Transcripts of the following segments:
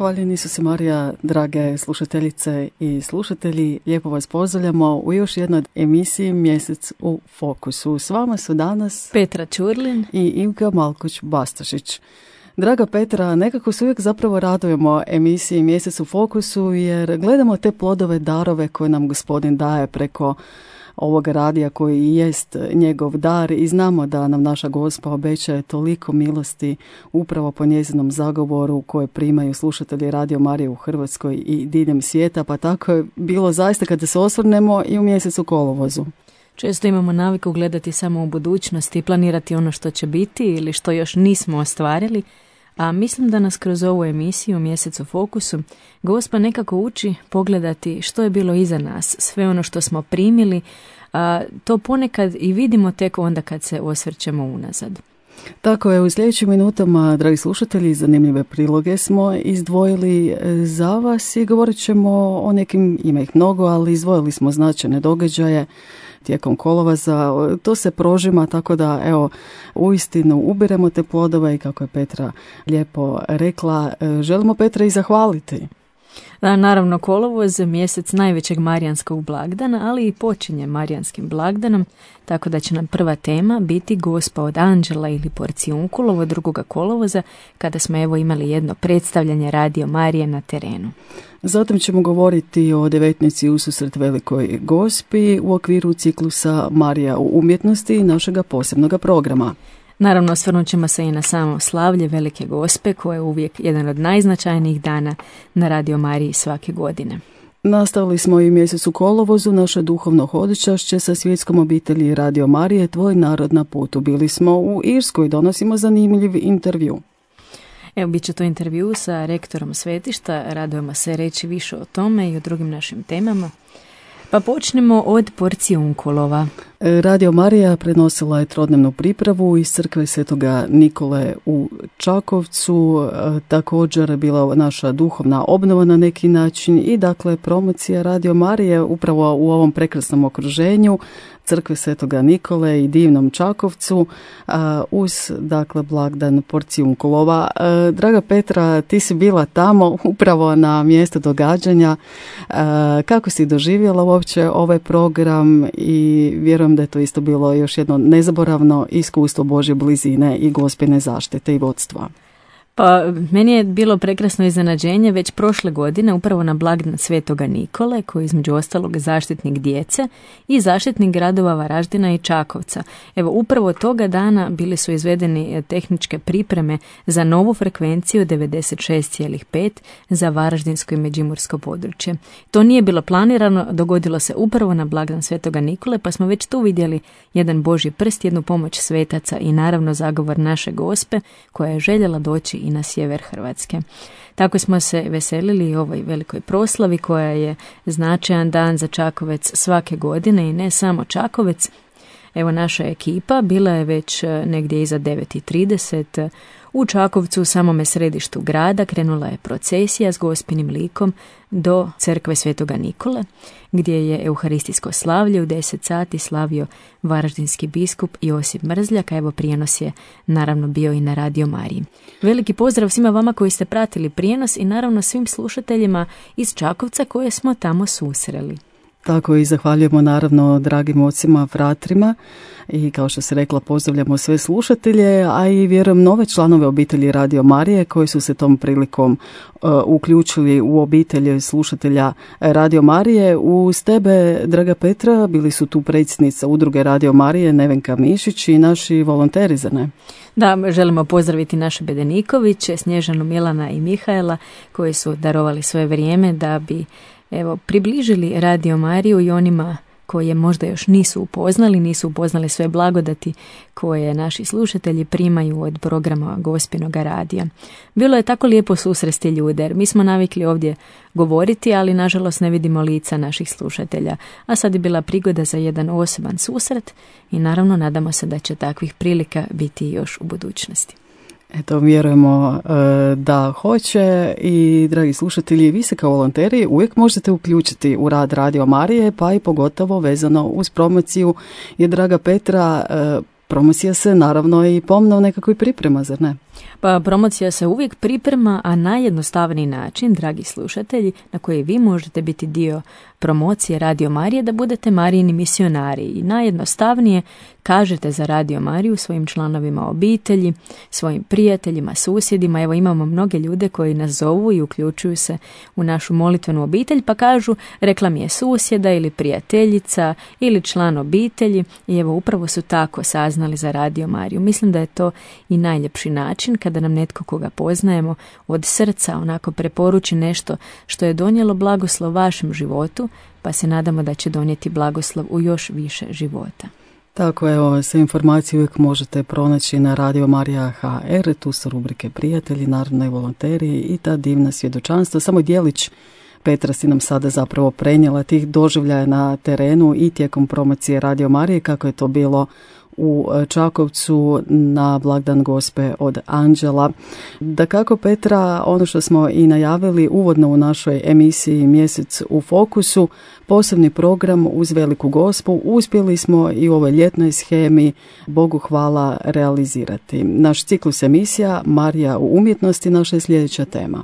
Hvaljeni Isuse Marija, drage slušateljice i slušatelji, lijepo vas pozdravljamo u još jednoj emisiji Mjesec u fokusu. S vama su danas Petra Ćurlin i Ivka Malkoć-Bastašić. Draga Petra, nekako se uvijek zapravo radujemo emisiji Mjesec u fokusu jer gledamo te plodove, darove koje nam Gospodin daje preko ovog radija koji jest njegov dar i znamo da nam naša Gospa obećaje toliko milosti upravo po njezinom zagovoru koje primaju slušatelji Radio Marije u Hrvatskoj i diljem svijeta, pa tako je bilo zaista kada se osvrnemo i u mjesecu kolovozu. Često imamo naviku gledati samo u budućnosti i planirati ono što će biti ili što još nismo ostvarili, a mislim da nas kroz ovu emisiju Mjesec u fokusu Gospa nekako uči pogledati što je bilo iza nas, sve ono što smo primili, a to ponekad i vidimo tek onda kad se osvrćemo unazad. Tako je, u sljedećim minutama, dragi slušatelji, zanimljive priloge smo izdvojili za vas i govorit ćemo o nekim, ima ih mnogo, ali izdvojili smo značajne događaje tijekom kolovoza. To se prožima, tako da evo, uistinu ubiremo te plodove i kako je Petra lijepo rekla, želimo Petra i zahvaliti. Da, naravno, kolovoz je mjesec najvećeg marijanskog blagdana, ali i počinje marijanskim blagdanom, tako da će nam prva tema biti Gospa od anđela ili porcijunkulovo 2. kolovoza, kada smo evo imali jedno predstavljanje Radio Marije na terenu. Zatim ćemo govoriti o 19. ususret Velikoj Gospi u okviru ciklusa Marija u umjetnosti i našega posebnog programa. Naravno, osvrnut ćemo se i na samo slavlje Velike Gospe, koje je uvijek jedan od najznačajnijih dana na Radio Mariji svake godine. Nastavili smo i mjesec u kolovozu naše duhovno hodočašće sa svjetskom obitelji Radio Marije, Tvoj narod na putu. Bili smo u Irskoj, donosimo zanimljiv intervju. Evo, bit će to intervju sa rektorom svetišta, radujemo se reći više o tome i o drugim našim temama. Pa počnemo od porcijunkulova. Radio Marija prenosila je trodnevnu pripravu iz crkve Svetoga Nikole u Čakovcu, također bila naša duhovna obnova na neki način i dakle promocija Radio Marije upravo u ovom prekrasnom okruženju crkve Svetoga Nikole i divnom Čakovcu uz dakle blagdan porcijunkulova. Draga Petra, ti si bila tamo upravo na mjestu događanja. Kako si doživjela uopće ovaj program i vjerujem da je to isto bilo još jedno nezaboravno iskustvo Božje blizine i Gospine zaštite i vodstva. Pa meni je bilo prekrasno iznenađenje već prošle godine upravo na blagdan Svetoga Nikole, koji je između ostalog zaštitnik djece i zaštitnik gradova Varaždina i Čakovca. Evo, upravo toga dana bili su izvedeni tehničke pripreme za novu frekvenciju 96,5 za Varaždinsko i Međimursko područje. To nije bilo planirano, dogodilo se upravo na blagdan Svetoga Nikole, pa smo već tu vidjeli jedan Božji prst, jednu pomoć svetaca i naravno zagovor naše Gospe koja je željela doći i na sjever Hrvatske. Tako smo se veselili ovoj velikoj proslavi koja je značajan dan za Čakovec svake godine i ne samo Čakovec. Evo, naša ekipa bila je već negdje iza 9:30 u Čakovcu, u samome središtu grada. Krenula je procesija s Gospinim likom do crkve Svetoga Nikole, gdje je euharistijsko slavlje u 10 sati slavio varaždinski biskup Josip Mrzljak, a evo prijenos je naravno bio i na Radio Mariji. Veliki pozdrav svima vama koji ste pratili prijenos i naravno svim slušateljima iz Čakovca koje smo tamo susreli. Tako i zahvaljujemo naravno dragim ocima, fratrima i kao što se rekla pozdravljamo sve slušatelje, a i vjerujem nove članove obitelji Radio Marije koji su se tom prilikom uključili u obitelj slušatelja Radio Marije. Uz tebe, draga Petra, bili su tu predsjednica udruge Radio Marije Nevenka Mišić i naši volonteri, zar ne? Da, želimo pozdraviti naše Bedenikoviće, Snježanu, Milana i Mihajla koji su darovali svoje vrijeme da bi približili Radio Mariju i onima koje možda još nisu upoznali sve blagodati koje naši slušatelji primaju od programa Gospinoga radija. Bilo je tako lijepo susresti ljude, jer mi smo navikli ovdje govoriti, ali nažalost ne vidimo lica naših slušatelja, a sad je bila prigoda za jedan osoban susret i naravno nadamo se da će takvih prilika biti još u budućnosti. Eto, vjerujemo da hoće i, dragi slušatelji, vi se kao volonteri uvijek možete uključiti u rad Radio Marije, pa i pogotovo vezano uz promociju, jer, draga Petra, promocija se naravno i pomno nekako i priprema, zar ne? Pa promocija se uvijek priprema, a najjednostavniji način, dragi slušatelji, na koji vi možete biti dio promocije Radio Marije, da budete Marijini misionari. I najjednostavnije kažete za Radio Mariju svojim članovima obitelji, svojim prijateljima, susjedima. Evo, imamo mnoge ljude koji nas zovu i uključuju se u našu molitvenu obitelj, pa kažu rekla mi je susjeda ili prijateljica ili član obitelji, i evo upravo su tako saznali za Radio Mariju. Mislim da je to i najljepši način kada nam netko koga poznajemo od srca onako preporuči nešto što je donijelo blagoslov vašem životu, pa se nadamo da će donijeti blagoslov u još više života. Tako, evo, sve informacije uvijek možete pronaći na Radio Marija HR, tu su rubrike Prijatelji, naravno i volonteri i ta divna svjedočanstva. Samo djelić Petra si nam sada zapravo prenijela tih doživljaja na terenu i tijekom promocije Radio Marije, kako je to bilo u Čakovcu na blagdan Gospe od Anđela. Dakako, Petra, ono što smo i najavili uvodno u našoj emisiji Mjesec u fokusu, posebni program uz Veliku Gospu uspjeli smo i u ovoj ljetnoj shemi, Bogu hvala, realizirati. Naš ciklus emisija Marija u umjetnosti, naša je sljedeća tema.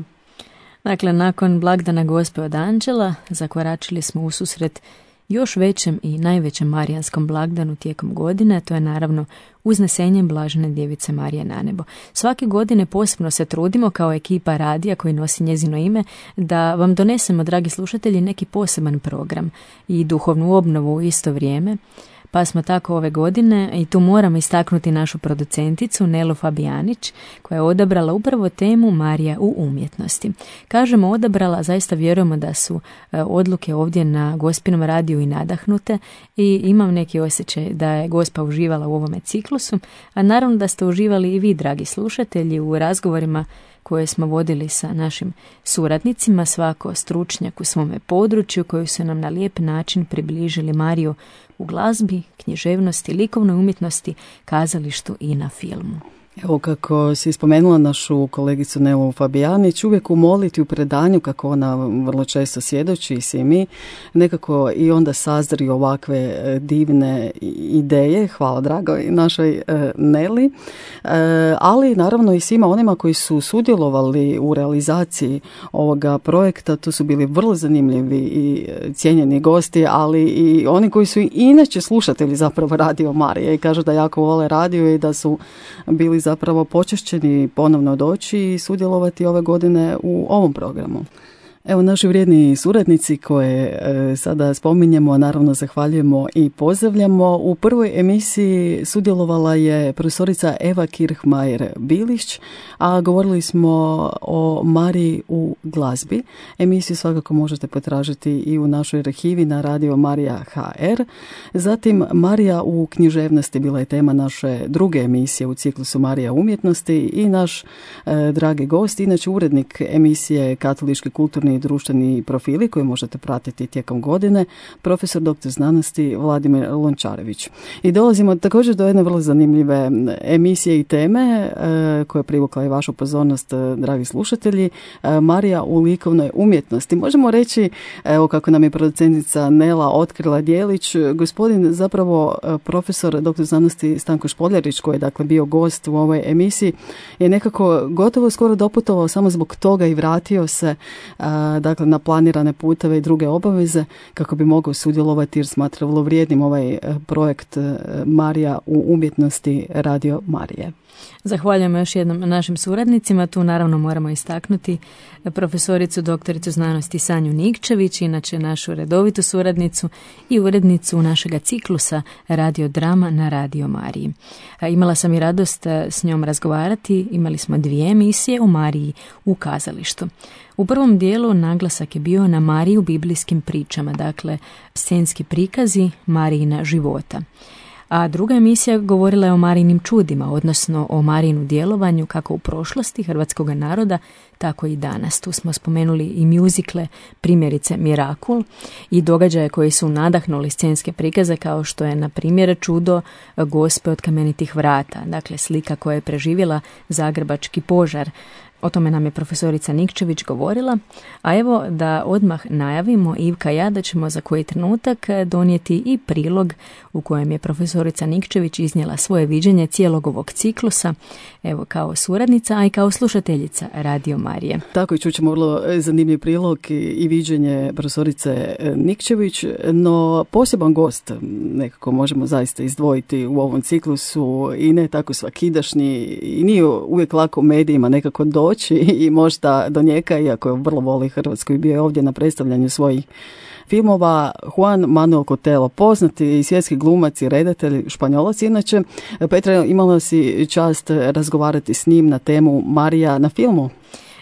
Dakle, nakon blagdana Gospe od Anđela zakoračili smo u susret još većem i najvećem marijanskom blagdanu tijekom godine, to je naravno uznesenjem Blažene Djevice Marije na nebo. Svake godine posebno se trudimo kao ekipa radija koji nosi njezino ime da vam donesemo, dragi slušatelji, neki poseban program i duhovnu obnovu u isto vrijeme. Pa smo tako ove godine, i tu moramo istaknuti našu producenticu Nelu Fabijanić, koja je odabrala upravo temu Marija u umjetnosti. Kažemo odabrala, zaista vjerujemo da su odluke ovdje na Gospinom radiju i nadahnute, i imam neki osjećaj da je Gospa uživala u ovome ciklusu, a naravno da ste uživali i vi, dragi slušatelji, u razgovorima koje smo vodili sa našim suradnicima, svako stručnjak u svome području, koji su nam na lijep način približili Mariju u glazbi, književnosti, likovnoj umjetnosti, kazalištu i na filmu. Evo, kako si spomenula našu kolegicu Nelu Fabijanić, uvijek u molitvi, u predanju, kako ona vrlo često svjedoči i svi mi, nekako i onda sazri ovakve divne ideje, hvala dragoj našoj Neli, ali naravno i svima onima koji su sudjelovali u realizaciji ovoga projekta. Tu su bili vrlo zanimljivi i cijenjeni gosti, ali i oni koji su inače slušatelji zapravo Radio Marije i kažu da jako vole radio i da su bili zapravo počašćeni ponovno doći i sudjelovati ove godine u ovom programu. Evo, naši vrijedni suradnici koje sada spominjemo, naravno zahvaljujemo i pozdravljamo. U prvoj emisiji sudjelovala je profesorica Eva Kirchmajer-Bilić, a govorili smo o Mariji u glazbi. Emisiju svakako možete potražiti i u našoj arhivi na Radio Marija HR. Zatim, Marija u književnosti bila je tema naše druge emisije u ciklusu Marija umjetnosti i naš dragi gost, inače urednik emisije Katolički kulturni i društveni profili koji možete pratiti tijekom godine, profesor dr. znanosti Vladimir Lončarević. I dolazimo također do jedne vrlo zanimljive emisije i teme koja je privukla i vašu pozornost, dragi slušatelji, Marija u likovnoj umjetnosti. Možemo reći, evo kako nam je producentica Nela otkrila djelić, gospodin zapravo profesor dr. znanosti Stanko Špoljarić, koji je dakle bio gost u ovoj emisiji, je nekako gotovo skoro doputovao samo zbog toga i vratio se dakle na planirane puteve i druge obaveze kako bi mogao sudjelovati, jer smatra vrlo vrijednim ovaj projekt Marija u umjetnosti Radio Marije. Zahvaljujemo još jednom našim suradnicima. Tu naravno moramo istaknuti profesoricu doktoricu znanosti Sanju Nikčević, inače našu redovitu suradnicu i urednicu našega ciklusa Radio Drama na Radio Mariji. Imala sam i radost s njom razgovarati. Imali smo 2 emisije o Mariji u kazalištu. U prvom dijelu naglasak je bio na Mariji u biblijskim pričama, dakle scenski prikazi Marijina života. A druga emisija govorila je o Marijinim čudima, odnosno o Marijinu djelovanju kako u prošlosti hrvatskog naroda, tako i danas. Tu smo spomenuli i mjuzikle, primjerice Mirakul, i događaje koji su nadahnuli scenske prikaze, kao što je na primjer čudo Gospe od kamenitih vrata, dakle slika koja je preživjela zagrebački požar. O tome nam je profesorica Nikčević govorila, a evo da odmah najavimo, Ivka i ja, da ćemo za koji trenutak donijeti i prilog u kojem je profesorica Nikčević iznijela svoje viđenje cijelog ovog ciklusa, evo kao suradnica, a i kao slušateljica Radio Marije. Tako i čućemo vrlo zanimljiv prilog i viđenje profesorice Nikčević, no poseban gost nekako možemo zaista izdvojiti u ovom ciklusu i ne tako svakidašnji i nije uvijek lako u medijima nekako doći i možda do njega, iako vrlo voli Hrvatsku i bio je ovdje na predstavljanju svojih filmova. Juan Manuel Cotelo, poznati svjetski glumac i redatelj, Španjolac inače. Petra, imala si čast razgovarati s njim na temu Marija na filmu.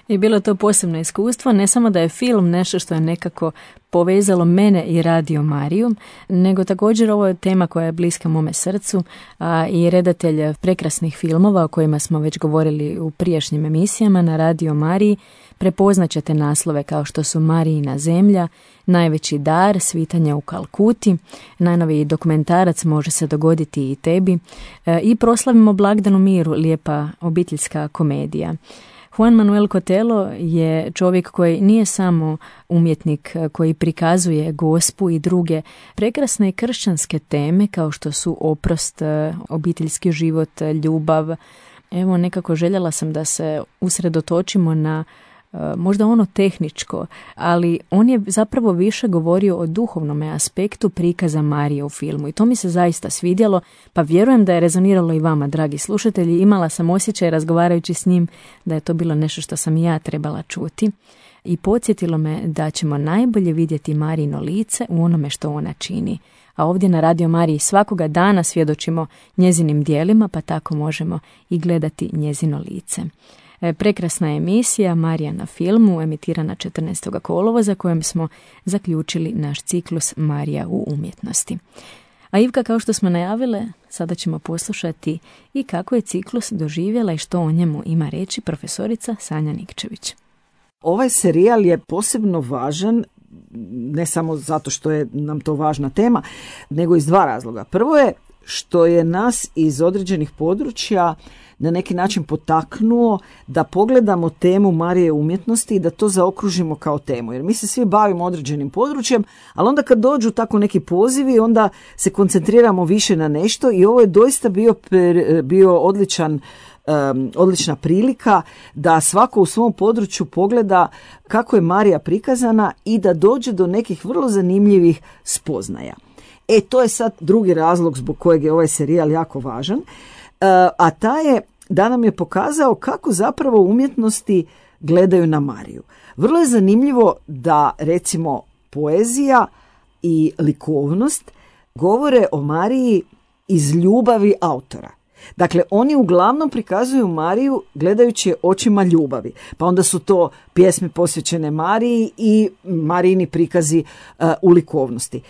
I bilo to posebno iskustvo, ne samo da je film nešto što je nekako povezalo mene i Radio Mariju, nego također ovo je tema koja je bliska mome srcu, a i redatelj prekrasnih filmova o kojima smo već govorili u prijašnjim emisijama na Radio Mariji. Prepoznaćete naslove kao što su Marijina zemlja, Najveći dar, Svitanje u Kalkuti, najnoviji dokumentarac Može se dogoditi i tebi i Proslavimo blagdan u miru, lijepa obiteljska komedija. Juan Manuel Cotelo je čovjek koji nije samo umjetnik koji prikazuje gospu i druge prekrasne kršćanske teme kao što su oprost, obiteljski život, ljubav. Evo, nekako željela sam da se usredotočimo na možda ono tehničko, ali on je zapravo više govorio o duhovnom aspektu prikaza Marije u filmu i to mi se zaista svidjelo, pa vjerujem da je rezoniralo i vama, dragi slušatelji. Imala sam osjećaj razgovarajući s njim da je to bilo nešto što sam i ja trebala čuti i podsjetilo me da ćemo najbolje vidjeti Marijino lice u onome što ona čini. A ovdje na Radio Mariji svakoga dana svjedočimo njezinim djelima, pa tako možemo i gledati njezino lice. Prekrasna emisija Marija na filmu, emitirana 14. kolovoza, kojem smo zaključili naš ciklus Marija u umjetnosti. A Ivka, kao što smo najavile, sada ćemo poslušati i kako je ciklus doživjela i što o njemu ima reći profesorica Sanja Nikčević. Ovaj serijal je posebno važan, ne samo zato što je nam to važna tema, nego iz dva razloga. Prvo je što je nas iz određenih područja na neki način potaknuo da pogledamo temu Marije umjetnosti i da to zaokružimo kao temu. Jer mi se svi bavimo određenim područjem, ali onda kad dođu tako neki pozivi, onda se koncentriramo više na nešto i ovo je doista bio odlična prilika da svako u svom području pogleda kako je Marija prikazana i da dođe do nekih vrlo zanimljivih spoznaja. To je sad drugi razlog zbog kojeg je ovaj serijal jako važan, a taj je da nam je pokazao kako zapravo umjetnosti gledaju na Mariju. Vrlo je zanimljivo da recimo poezija i likovnost govore o Mariji iz ljubavi autora. Dakle, oni uglavnom prikazuju Mariju gledajući očima ljubavi. Pa onda su to pjesme posvećene Mariji i Marijini prikazi u likovnosti.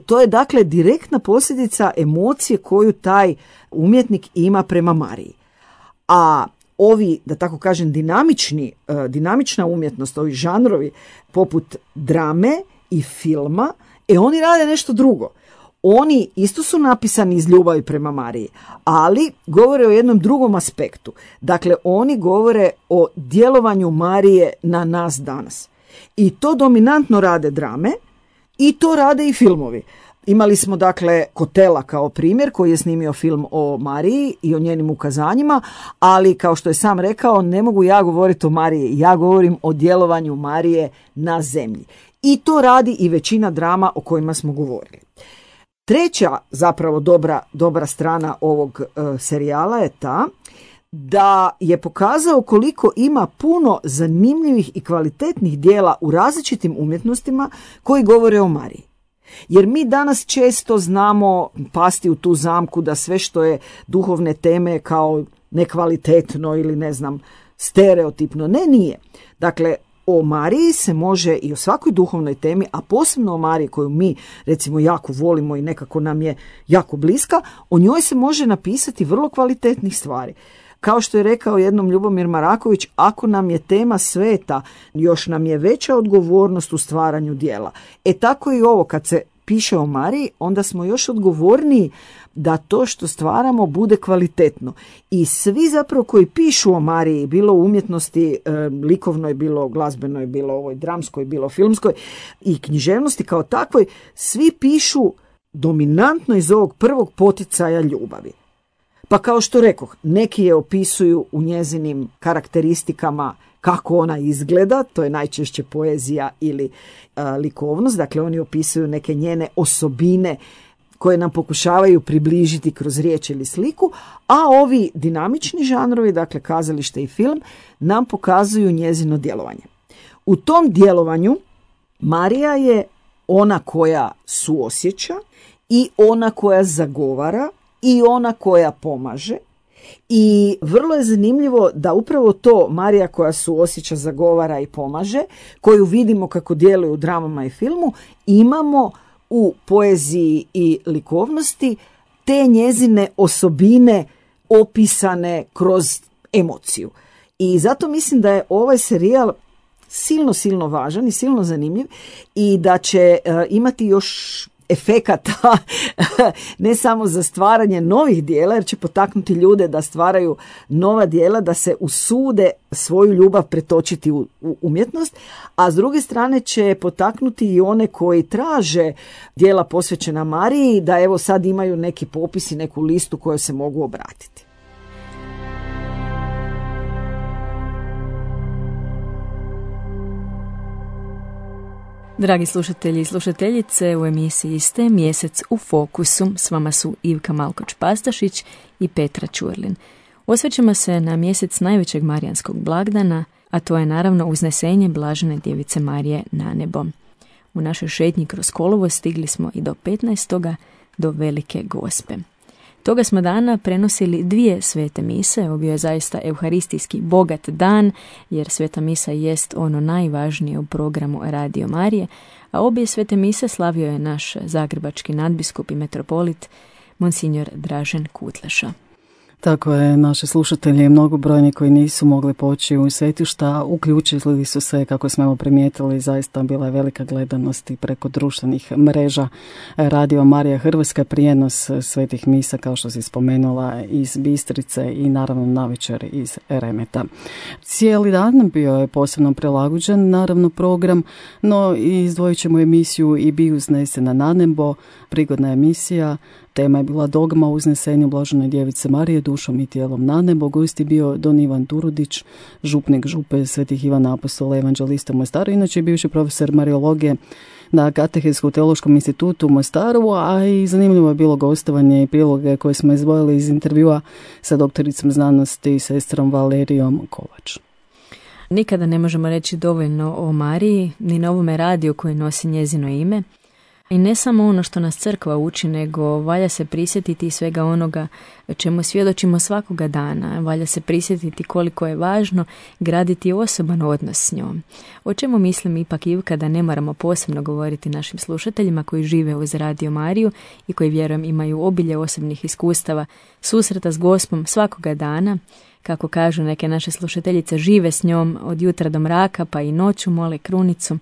To je dakle direktna posljedica emocije koju taj umjetnik ima prema Mariji. A ovi, da tako kažem, dinamična umjetnost, ovi žanrovi poput drame i filma, oni rade nešto drugo. Oni isto su napisani iz ljubavi prema Mariji, ali govore o jednom drugom aspektu. Dakle, oni govore o djelovanju Marije na nas danas. I to dominantno rade drame i to rade i filmovi. Imali smo dakle Cotela kao primjer koji je snimio film o Mariji i o njenim ukazanjima, ali kao što je sam rekao, ne mogu ja govoriti o Mariji, ja govorim o djelovanju Marije na zemlji. I to radi i većina drama o kojima smo govorili. Treća zapravo dobra strana ovog serijala je ta da je pokazao koliko ima puno zanimljivih i kvalitetnih dijela u različitim umjetnostima koji govore o Mariji. Jer mi danas često znamo pasti u tu zamku da sve što je duhovne teme kao nekvalitetno ili ne znam stereotipno. Ne, nije. Dakle, o Mariji se može i o svakoj duhovnoj temi, a posebno o Mariji koju mi recimo jako volimo i nekako nam je jako bliska, o njoj se može napisati vrlo kvalitetnih stvari. Kao što je rekao jednom Ljubomir Maraković, ako nam je tema sveta, još nam je veća odgovornost u stvaranju djela. Tako i ovo, kad se piše o Mariji, onda smo još odgovorniji da to što stvaramo bude kvalitetno. I svi zapravo koji pišu o Mariji, bilo u umjetnosti likovnoj, bilo glazbenoj, bilo ovoj dramskoj, bilo filmskoj i književnosti kao takvoj, svi pišu dominantno iz ovog prvog poticaja ljubavi. Pa kao što rekoh, neki je opisuju u njezinim karakteristikama kako ona izgleda, to je najčešće poezija ili likovnost, dakle oni opisuju neke njene osobine koje nam pokušavaju približiti kroz riječ ili sliku, a ovi dinamični žanrovi, dakle kazalište i film, nam pokazuju njezino djelovanje. U tom djelovanju Marija je ona koja suosjeća i ona koja zagovara i ona koja pomaže. I vrlo je zanimljivo da upravo to Marija koja suosjeća, zagovara i pomaže, koju vidimo kako djeluje u dramama i filmu, imamo u poeziji i likovnosti te njezine osobine opisane kroz emociju. I zato mislim da je ovaj serijal silno važan i silno zanimljiv i da će imati još efekata ne samo za stvaranje novih dijela, jer će potaknuti ljude da stvaraju nova dijela, da se usude svoju ljubav pretočiti u umjetnost, a s druge strane će potaknuti i one koji traže dijela posvećena Mariji, da evo sad imaju neki popis i neku listu kojoj se mogu obratiti. Dragi slušatelji i slušateljice, u emisiji ste Mjesec u fokusu. S vama su Ivka Malkoč-Pastašić i Petra Ćurlin. Osvrćemo se na mjesec najvećeg marijanskog blagdana, a to je naravno uznesenje Blažene Djevice Marije na nebo. U našoj šetnji kroz kolovo stigli smo i do 15. do Velike Gospe. Toga smo dana prenosili 2 svete mise, ovo bio je zaista euharistijski bogat dan, jer sveta misa jest ono najvažnije u programu Radio Marije, a obje svete mise slavio je naš zagrebački nadbiskup i metropolit, monsignor Dražen Kutleša. Tako je, naši slušatelji mnogobrojni koji nisu mogli poći u svetišta, uključili su se, kako smo primijetili, zaista bila je velika gledanost i preko društvenih mreža Radio Marija Hrvatska, prijenos svetih misa, kao što si spomenula, iz Bistrice i naravno navečer iz Remeta. Cijeli dan bio je posebno prilagođen, naravno, program, no izdvojit ćemo emisiju I bi uznesena na nebo, prigodna emisija. Tema je bila dogma o uznesenju Blažene Djevice Marije dušom i tijelom na nebo. Gost je bio Don Ivan Turudić, župnik župe Svetih Ivana Apostola evanđelista u Mostaru, inače bivši profesor mariologije na Katehetsko-teološkom institutu u Mostaru, a i zanimljivo je bilo gostovanje i priloge koje smo izdvojili iz intervjua sa doktoricom znanosti i sestrom Valerijom Kovač. Nikada ne možemo reći dovoljno o Mariji, ni na ovome radiju koji nosi njezino ime. I ne samo ono što nas crkva uči, nego valja se prisjetiti svega onoga čemu svjedočimo svakoga dana. Valja se prisjetiti koliko je važno graditi osoban odnos s njom. O čemu mislim ipak, Ivka, da ne moramo posebno govoriti našim slušateljima koji žive uz Radio Mariju i koji, vjerujem, imaju obilje osobnih iskustava susreta s Gospom svakoga dana. Kako kažu neke naše slušateljice, žive s njom od jutra do mraka, pa i noću mole krunicu.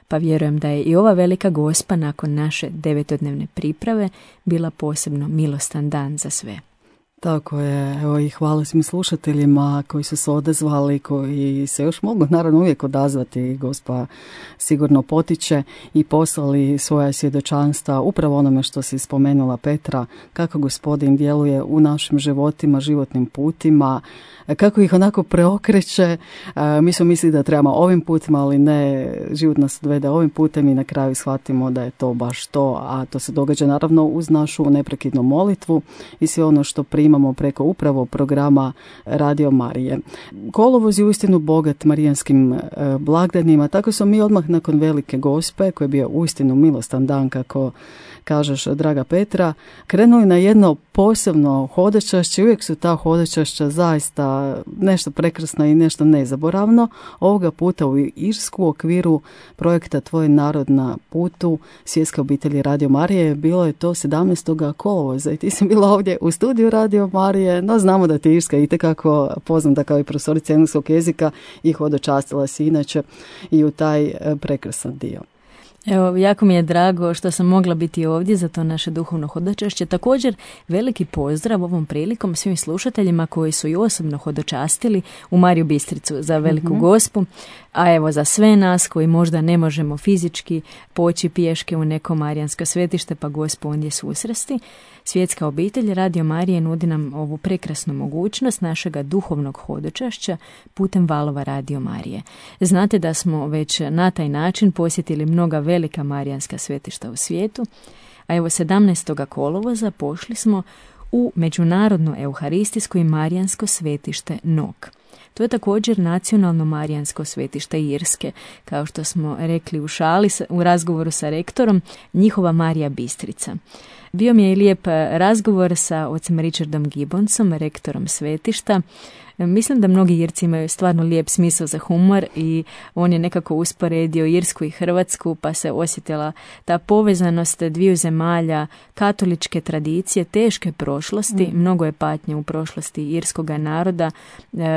Pa vjerujem da je i ova Velika Gospa nakon naše 9-dnevne priprave bila posebno milostan dan za sve. Tako je, evo i hvala svim slušateljima koji su se odazvali, koji se još mogu naravno uvijek odazvati, Gospa sigurno potiče, i poslali svoja svjedočanstva upravo onome što si spomenula, Petra, kako Gospodin djeluje u našim životima, životnim putima, kako ih onako preokreće. Mi smo mislili da trebamo ovim putima, ali ne, život nas odvede ovim putem i na kraju shvatimo da je to baš to, a to se događa naravno uz našu neprekidnu molitvu i sve ono što primamo preko upravo programa Radio Marije. Kolovoz je uistinu bogat marijanskim blagdanima, tako smo mi odmah nakon Velike Gospe, koji je bio uistinu milostan dan, kako kažeš, draga Petra, krenuli na jedno posebno hodočašće. Uvijek su ta hodočašća zaista nešto prekrasno i nešto nezaboravno. Ovoga puta u Irsku u okviru projekta Tvoj narod na putu Svjetske obitelji Radio Marije. Bilo je to 17. kolovoza i ti si bila ovdje u studiju Radio Marije, no znamo da ti Irska itekako poznata kao i profesorica engleskog jezika i hodočastila si inače i u taj prekrasan dio. Evo, jako mi je drago što sam mogla biti ovdje za to naše duhovno hodočašće. Također, veliki pozdrav ovom prilikom svim slušateljima koji su i osobno hodočastili u Mariju Bistricu za Veliku Gospu, a evo za sve nas koji možda ne možemo fizički poći pješke u neko marijansko svetište pa Gospu ondje susresti. Svjetska obitelj Radio Marije nudi nam ovu prekrasnu mogućnost našega duhovnog hodočašća putem valova Radio Marije. Znate da smo već na taj način posjetili mnoga velika marijanska svetišta u svijetu, a evo 17. kolovoza pošli smo u Međunarodno euharistijsko i marijansko svetište Nok. To je također nacionalno marijansko svetište Irske, kao što smo rekli u šali u razgovoru sa rektorom, njihova Marija Bistrica. Bio mi je i lijep razgovor sa ocem Richardom Gibbonsom, rektorom svetišta. Mislim da mnogi Irci imaju stvarno lijep smisao za humor i on je nekako usporedio Irsku i Hrvatsku, pa se osjetila ta povezanost dviju zemalja, katoličke tradicije, teške prošlosti, mnogo je patnje u prošlosti irskoga naroda,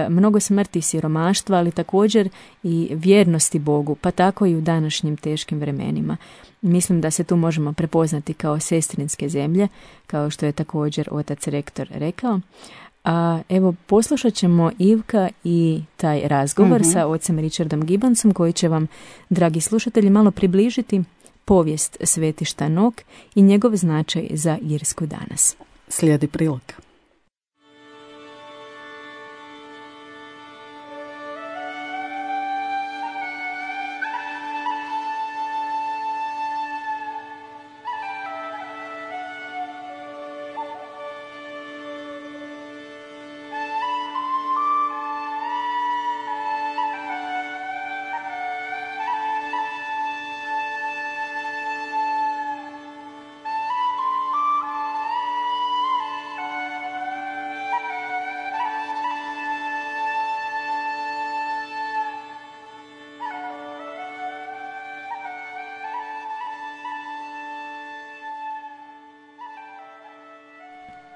mnogo smrti i siromaštva, ali također i vjernosti Bogu, pa tako i u današnjim teškim vremenima. Mislim da se tu možemo prepoznati kao sestrinske zemlje, kao što je također otac rektor rekao. A evo, poslušat ćemo Ivka i taj razgovor sa ocem Richardom Gibbonsom koji će vam, dragi slušatelji, malo približiti povijest svetišta Nok i njegov značaj za Irsku danas. Slijedi prilog.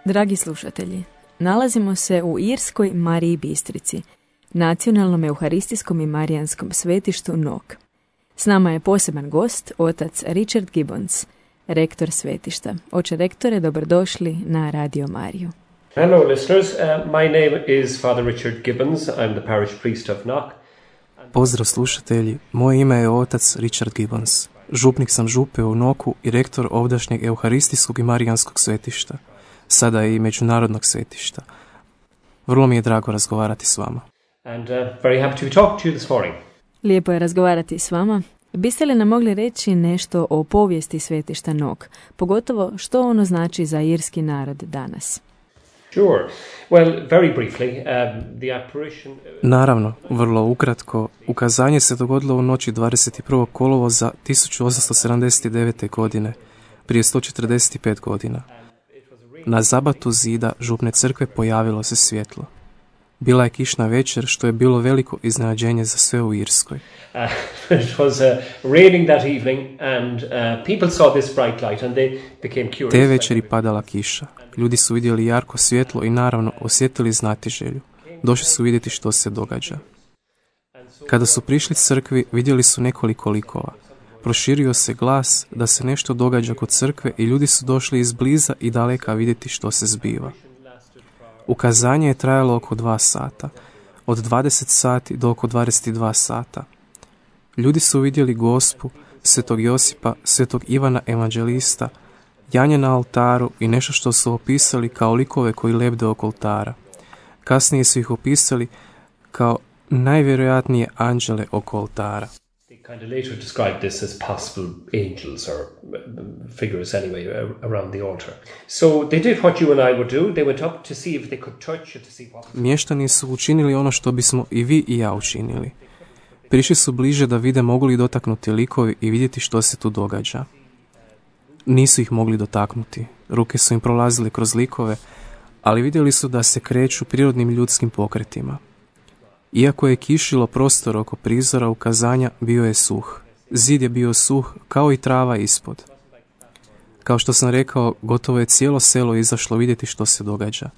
Dragi slušatelji, nalazimo se u Irskoj Mariji Bistrici, nacionalnom euharistijskom i marijanskom svetištu Nok. S nama je poseban gost, otac Richard Gibbons, rektor svetišta. Oče rektore, dobrodošli na Radio Mariju. Hello listeners, my name is Father Richard Gibbons, I'm the parish priest of Knock. Pozdrav slušatelji, moje ime je otac Richard Gibbons. Župnik sam župe u Noku i rektor ovdašnjeg euharistijskog i marijanskog svetišta, sada i međunarodnog svetišta. Vrlo mi je drago razgovarati s vama. And very happy to talk to you this morning. Lijepo je razgovarati s vama. Biste li nam mogli reći nešto o povijesti svetišta Nok, pogotovo što ono znači za irski narod danas? Sure. Well, very briefly, the apparition... Naravno, vrlo ukratko, ukazanje se dogodilo u noći 21. kolovoza 1879. godine, prije 145 godina. Na zabatu zida župne crkve pojavilo se svjetlo. Bila je kišna večer, što je bilo veliko iznenađenje za sve u Irskoj. It was raining that evening and people saw this bright light and they became curious. Te večeri padala kiša. Ljudi su vidjeli jarko svjetlo i naravno osjetili znatiželju. Došli su vidjeti što se događa. Kada su prišli crkvi, vidjeli su nekoliko likova. Proširio se glas da se nešto događa kod crkve i ljudi su došli izbliza i daleka vidjeti što se zbiva. Ukazanje je trajalo oko 2 sata, od 20 sati do oko 22 sata. Ljudi su vidjeli Gospu, svetog Josipa, svetog Ivana Evanđelista, janje na oltaru i nešto što su opisali kao likove koji lebde oko oltara. Kasnije su ih opisali kao najvjerojatnije anđele oko oltara. Kind of later described this as possible angels or figures anyway around the altar. So they did what you and I would do. They went up to see if they could touch it, to see what... Mještani su učinili ono što bismo i vi i ja učinili. Prišli su bliže da vide mogu li dotaknuti likovi i vidjeti što se tu događa. Nisu ih mogli dotaknuti. Ruke su im prolazile kroz likove, ali vidjeli su da se kreću prirodnim ljudskim pokretima. Iako je kišilo prostor oko prizora ukazanja, bio je suh. Zid je bio suh, kao i trava ispod. Kao što sam rekao, gotovo je cijelo selo izašlo vidjeti što se događa.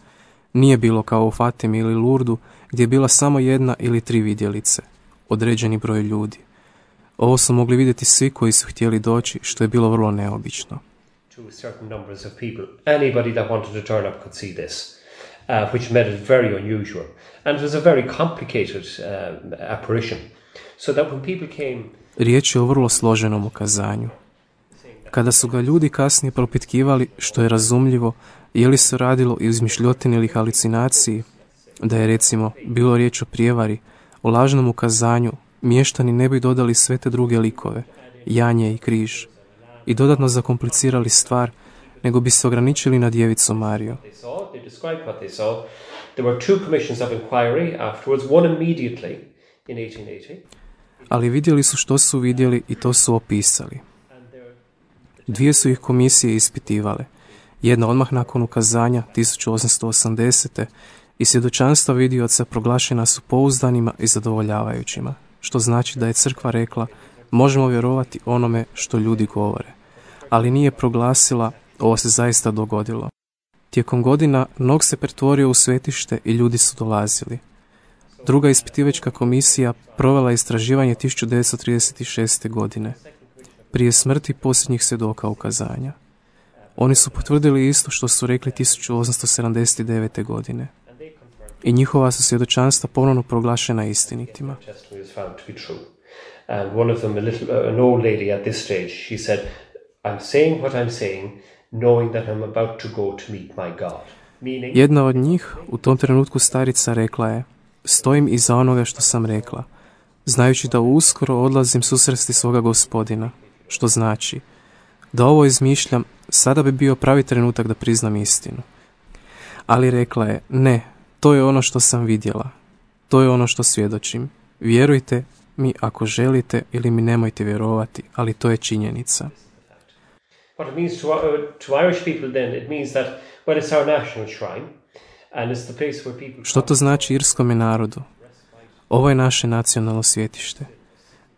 Nije bilo kao u Fatimi ili Lurdu, gdje je bila samo 1 ili 3 vidjelice, određeni broj ljudi. Ovo su mogli vidjeti svi koji su htjeli doći, što je bilo vrlo neobično. To certain numbers of people. Anybody that wanted to turn up could see this, which made it very unusual. And it was a very complicated apparition. So that when people came... Riječ je o vrlo složenom ukazanju. Kada su ga ljudi kasnije propitkivali, što je razumljivo, je li se radilo o izmišljotini ili halucinaciji, da je recimo bilo riječ o prijevari, o lažnom ukazanju, mještani ne bi dodali sve te druge likove, janje i križ, i dodatno zakomplicirali stvar, nego bi se ograničili na djevicu Mariju. Ali vidjeli su što su vidjeli i to su opisali. Dvije su ih komisije ispitivale. Jedna odmah nakon ukazanja 1880. i svjedočanstva vidioca proglašena su pouzdanima i zadovoljavajućima, što znači da je crkva rekla možemo vjerovati onome što ljudi govore, ali nije proglasila ovo se zaista dogodilo. Tijekom godina Nog se pretvorio u svetište i ljudi su dolazili. Druga ispitivačka komisija provela istraživanje 1936. godine, prije smrti posljednjih svjedoka ukazanja. Oni su potvrdili isto što su rekli 1879. godine. I njihova su svjedočanstva ponovno proglašena istinitima. And one of them, an old lady at this stage, she said, I'm saying what I'm saying, knowing that I'm about to go to meet my God. Jedna od njih, u tom trenutku starica, rekla je, stojim iza onoga što sam rekla, znajući da uskoro odlazim susresti svoga Gospodina, što znači da ovo izmišljam, sada bi bio pravi trenutak da priznam istinu. Ali rekla je, ne, to je ono što sam vidjela, to je ono što svjedočim. Vjerujte mi ako želite ili mi nemojte vjerovati, ali to je činjenica. What it means to Irish people then, it means that, well, it's our national shrine, and it's the place where people... Što to znači irskome narodu? Ovo je naše nacionalno svetište.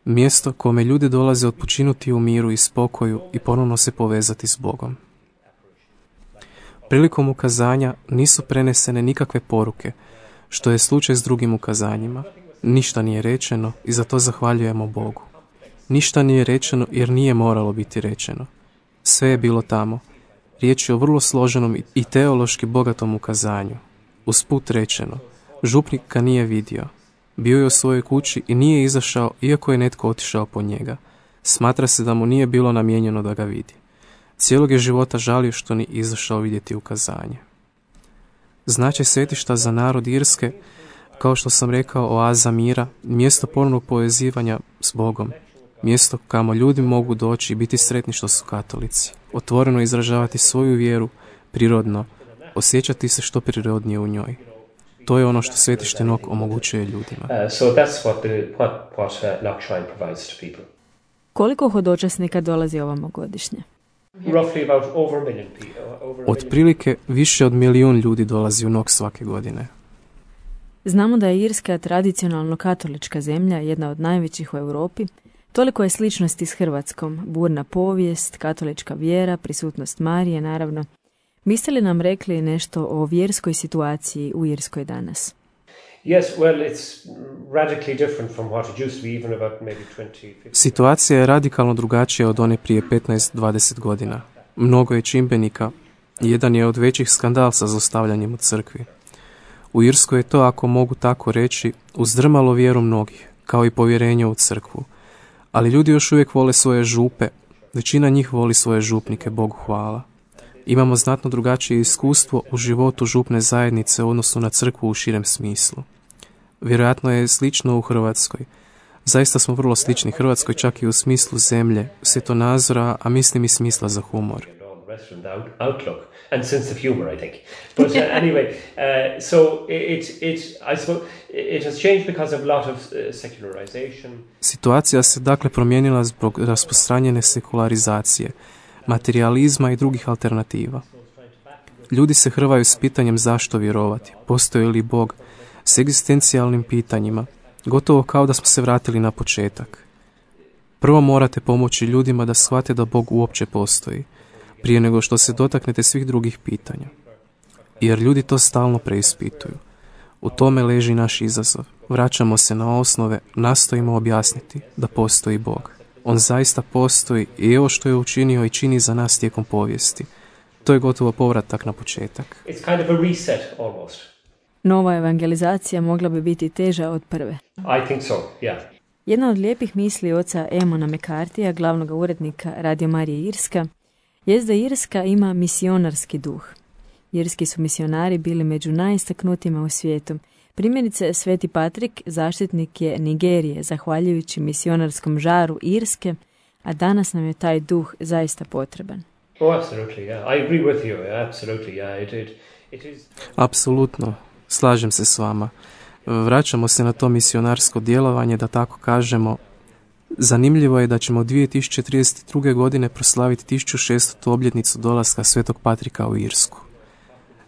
Mjesto kome ljudi dolaze odpočinuti u miru i spokoju i ponovno se povezati s Bogom. Prilikom ukazanja nisu prenesene nikakve poruke, što je slučaj s drugim ukazanjima. Ništa nije rečeno i za to zahvaljujemo Bogu. Ništa nije rečeno jer nije moralo biti rečeno. Sve je bilo tamo. Riječ je o vrlo složenom i teološki bogatom ukazanju. Usput rečeno, župnik ga nije vidio. Bio je u svojoj kući i nije izašao iako je netko otišao po njega. Smatra se da mu nije bilo namijenjeno da ga vidi. Cijelog je života žalio što nije izašao vidjeti ukazanje. Značaj svetišta za narod Irske, kao što sam rekao, oaza mira, mjesto ponovnog povezivanja s Bogom, mjesto kamo ljudi mogu doći i biti sretni što su katolici, otvoreno izražavati svoju vjeru, prirodno, osjećati se što prirodnije u njoj. To je ono što svetište Nog omogućuje ljudima. So that's what Nog Shrine provides to people. Koliko hodočasnika dolazi ovamo godišnje? Roughly about over a million people. Otprilike više od 1 milijun ljudi dolazi u Nog svake godine. Znamo da je Irska tradicionalno katolička zemlja, jedna od najvećih u Europi. Toliko je sličnosti s Hrvatskom, burna povijest, katolička vjera, prisutnost Marije, naravno. Biste li nam rekli nešto o vjerskoj situaciji u Irskoj danas? Yes, well, it's radically different from what it used to be even about maybe 20, 50. Situacija je radikalno drugačija od one prije 15-20 godina. Mnogo je čimbenika. Jedan je od većih skandal sa zlostavljanjem u crkvi. U Irskoj je to, ako mogu tako reći, uzdrmalo vjeru mnogih, kao i povjerenje u crkvu. Ali ljudi još uvijek vole svoje župe, većina njih voli svoje župnike, Bogu hvala. Imamo znatno drugačije iskustvo u životu župne zajednice u odnosu na crkvu u širem smislu. Vjerojatno je slično u Hrvatskoj. Zaista smo vrlo slični Hrvatskoj, čak i u smislu zemlje, svjetonazora, a mislim i smisla za humor. Outlook and sense of humor, I think. But anyway, so I suppose it has changed because of a lot of secularization. Situacija se dakle promijenila zbog rasprostranjene sekularizacije, materializma i drugih alternativa. Ljudi se hrvaju s pitanjem zašto vjerovati, postoji li Bog, s egzistencijalnim pitanjima, gotovo kao da smo se vratili na početak. Prvo morate pomoći ljudima da shvate da Bog uopće postoji, prije nego što se dotaknete svih drugih pitanja. Jer ljudi to stalno preispituju. U tome leži naš izazov. Vraćamo se na osnove, nastojimo objasniti da postoji Bog. On zaista postoji i evo što je učinio i čini za nas tijekom povijesti. To je gotovo povratak na početak. It's kind of a reset almost. Nova evangelizacija mogla bi biti teža od prve. I think so, yeah. Jedna od lijepih misli oca Emona McCarthyja, glavnog urednika Radio Marije Irska, jest da Irska ima misionarski duh. Irski su misionari bili među najistaknutijima u svijetu. Primjerice, Sveti Patrik zaštitnik je Nigerije, zahvaljujući misionarskom žaru Irske, a danas nam je taj duh zaista potreban. Oh, absolutely, yeah. I agree with you, absolutely, yeah. It is... Apsolutno, slažem se s vama. Vraćamo se na to misionarsko djelovanje, da tako kažemo. Zanimljivo je da ćemo 2032. godine proslaviti 1600. obljetnicu dolaska Svetog Patrika u Irsku.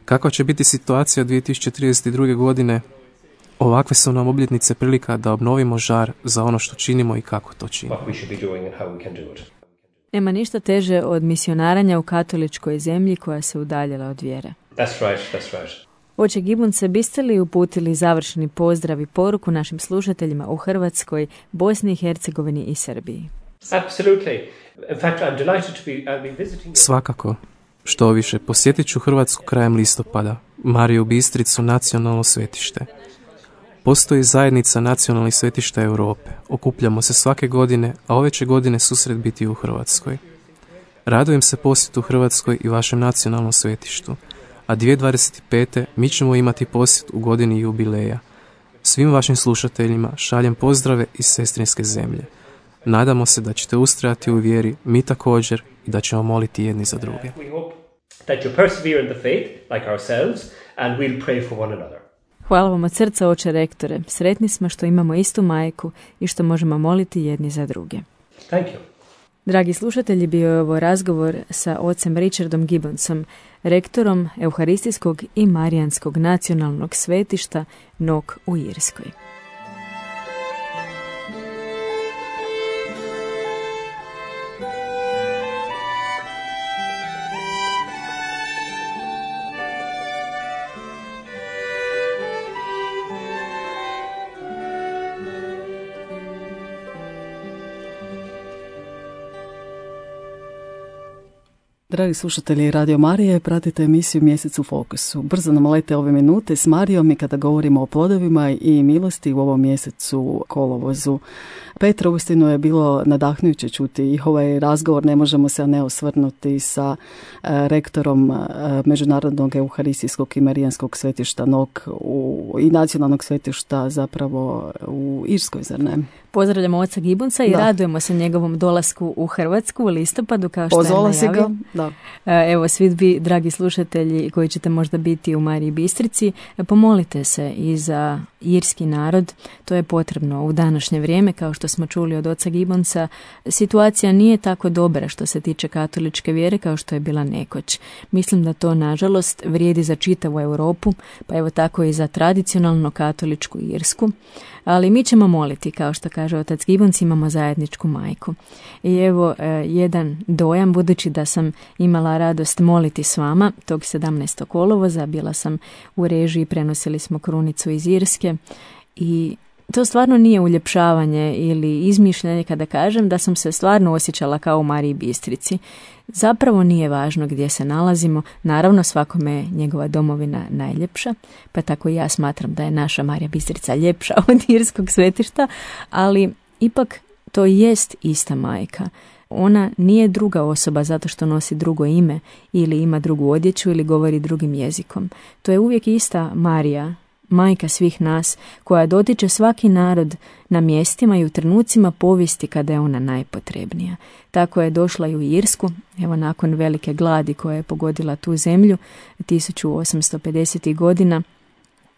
Kakva će biti situacija 2032. godine? Ovakve su nam obljetnice prilika da obnovimo žar za ono što činimo i kako to činimo. Nema ništa teže od misionaranja u katoličkoj zemlji koja se udaljila od vjere. That's right. Oče Gibbonse, biste li uputili završni pozdrav i poruku našim slušateljima u Hrvatskoj, Bosni i Hercegovini i Srbiji? Absolutely. In fact, I'm delighted to be visiting... Svakako. Što više, posjetit ću Hrvatsku krajem listopada, Mariju Bistricu, nacionalno svetište. Postoji zajednica nacionalnih svetišta Europe. Okupljamo se svake godine, a ove će godine susret biti u Hrvatskoj. Radujem se posjetu Hrvatskoj i vašem nacionalnom svetištu, a 2025. mi ćemo imati posjet u godini jubileja. Svim vašim slušateljima šaljem pozdrave iz sestrinske zemlje. Nadamo se da ćete ustrajati u vjeri, mi također, i da ćemo moliti jedni za druge. Hvala vam od srca, oče rektore. Sretni smo što imamo istu majku i što možemo moliti jedni za druge. Thank you. Dragi slušatelji, bio je ovo razgovor sa ocem Richardom Gibbonsom, rektorom Euharistijskog i Marijanskog nacionalnog svetišta Nok u Irskoj. Dragi slušatelji Radio Marije, pratite emisiju Mjesec u fokusu. Brzo nam lete ove minute s Marijom i kada govorimo o plodovima i milosti u ovom mjesecu kolovozu. Petra, uistinu je bilo nadahnujuće čuti i ovaj razgovor, ne možemo se ne osvrnuti sa rektorom Međunarodnog Euharistijskog i Marijanskog svetišta Nok i nacionalnog svetišta zapravo u Irskoj, zar ne? Pozdravljamo oca Gibbonsa i radujemo se njegovom dolasku u Hrvatsku u listopadu, kao što je najavio. Da. Evo, svi vi, dragi slušatelji koji ćete možda biti u Mariji Bistrici, pomolite se i za irski narod. To je potrebno u današnje vrijeme, kao što smo čuli od oca Gibbonsa. Situacija nije tako dobra što se tiče katoličke vjere kao što je bila nekoć. Mislim da to, nažalost, vrijedi za čitavu Europu, pa evo tako i za tradicionalno katoličku Irsku. Ali mi ćemo moliti, kao što kaže otac Gibbons, imamo zajedničku majku. I evo jedan dojam, budući da sam imala radost moliti s vama tog 17. kolovoza, bila sam u režiji, prenosili smo krunicu iz Irske i to stvarno nije uljepšavanje ili izmišljanje kada kažem da sam se stvarno osjećala kao u Mariji Bistrici. Zapravo nije važno gdje se nalazimo, naravno svakome je njegova domovina najljepša, pa tako i ja smatram da je naša Marija Bistrica ljepša od irskog svetišta, ali ipak to jest ista majka. Ona nije druga osoba zato što nosi drugo ime ili ima drugu odjeću ili govori drugim jezikom. To je uvijek ista Marija, majka svih nas, koja dotiče svaki narod na mjestima i u trenucima povijesti kada je ona najpotrebnija. Tako je došla i u Irsku, evo nakon velike gladi koja je pogodila tu zemlju 1850. godina.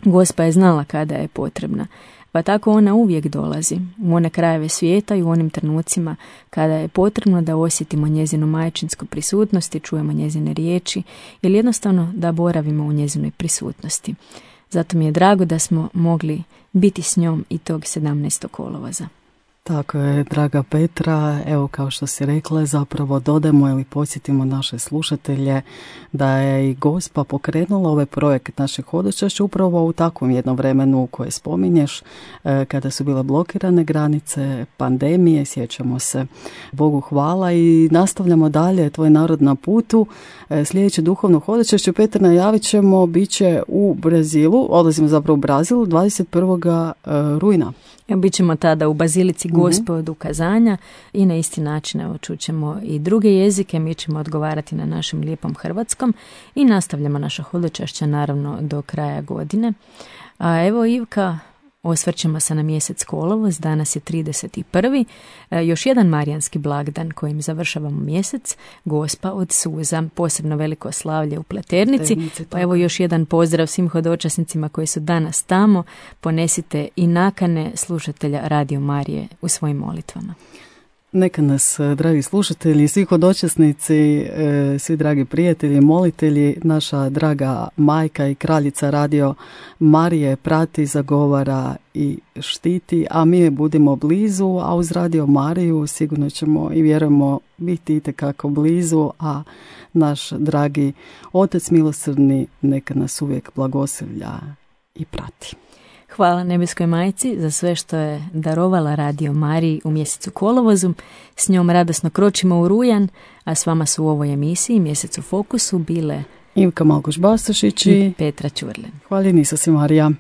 Gospa je znala kada je potrebna, pa tako ona uvijek dolazi u one krajeve svijeta i u onim trenucima kada je potrebno da osjetimo njezinu majčinsku prisutnost i čujemo njezine riječi ili jednostavno da boravimo u njezinoj prisutnosti. Zato mi je drago da smo mogli biti s njom i tog 17. kolovoza. Tako je, draga Petra, evo kao što si rekla, zapravo dodajemo ili podsjetimo naše slušatelje da je i Gospa pokrenula ovaj projekt našeg hodočašća upravo u takvom jednom vremenu koje spominješ, kada su bile blokirane granice, pandemije, sjećamo se. Bogu hvala i nastavljamo dalje, tvoj narod na putu. Sljedeće duhovno hodočašće, Petra, najavit ćemo, bit će u Brazilu, odlazimo zapravo u Brazil 21. rujna. Bit ćemo tada u Bazilici Gospe od ukazanja i na isti način čućemo i druge jezike, mi ćemo odgovarati na našem lijepom hrvatskom i nastavljamo naša hodočašća naravno do kraja godine. A evo, Ivka, osvrćemo se na mjesec kolovoz, danas je 31. Još jedan marijanski blagdan kojim završavamo mjesec, Gospa od suza, posebno veliko slavlje u Pleternici. Pa evo još jedan pozdrav svim hodočasnicima koji su danas tamo. Ponesite i nakane slušatelja Radio Marije u svojim molitvama. Neka nas, dragi slušatelji, svi hodočasnici, svi dragi prijatelji, molitelji, naša draga majka i kraljica Radio Marije prati, zagovara i štiti, a mi je budimo blizu, a uz Radio Mariju sigurno ćemo i vjerujemo biti itekako blizu, a naš dragi Otac milosrdni neka nas uvijek blagoslovlja i prati. Hvala nebeskoj majci za sve što je darovala Radio Mariji u mjesecu kolovozu. S njom radosno kročimo u rujan, a s vama su u ovoj emisiji Mjesec u fokusu bile Ivka Malkoš-Bastašić i Petra Ćurlin. Hvala si Marija.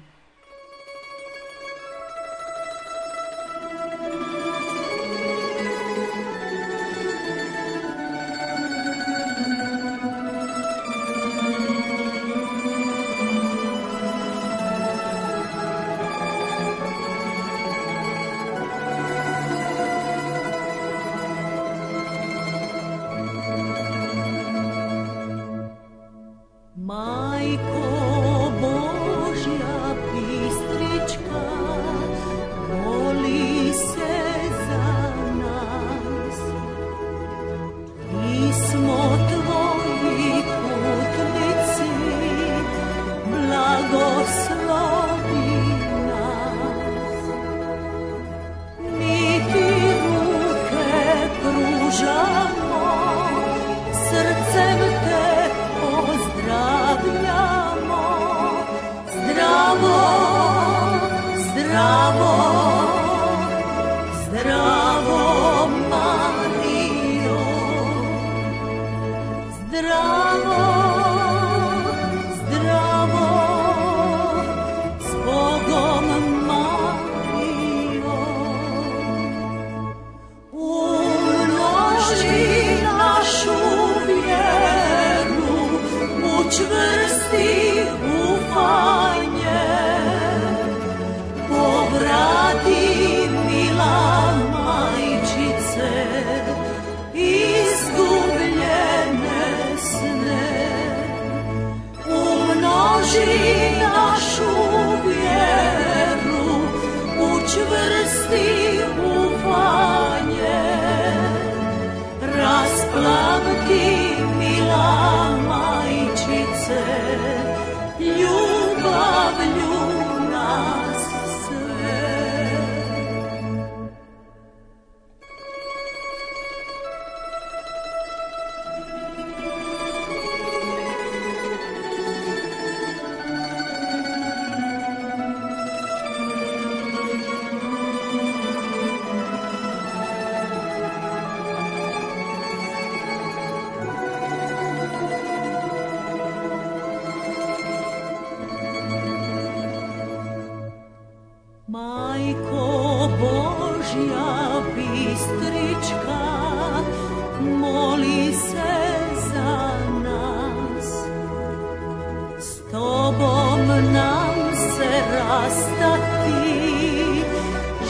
Rastati,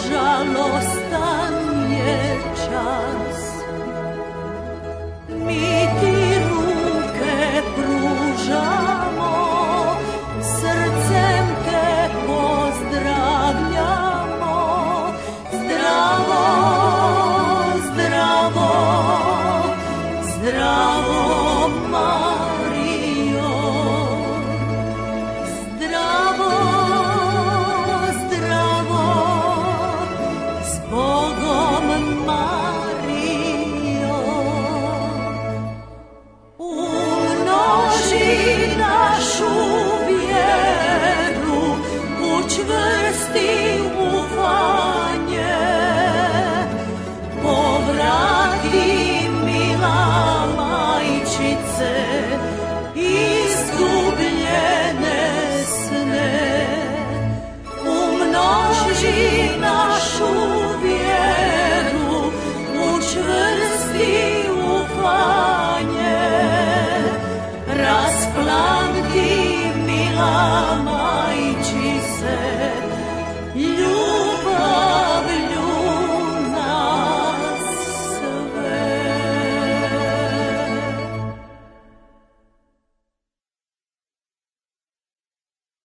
žalostan je čas.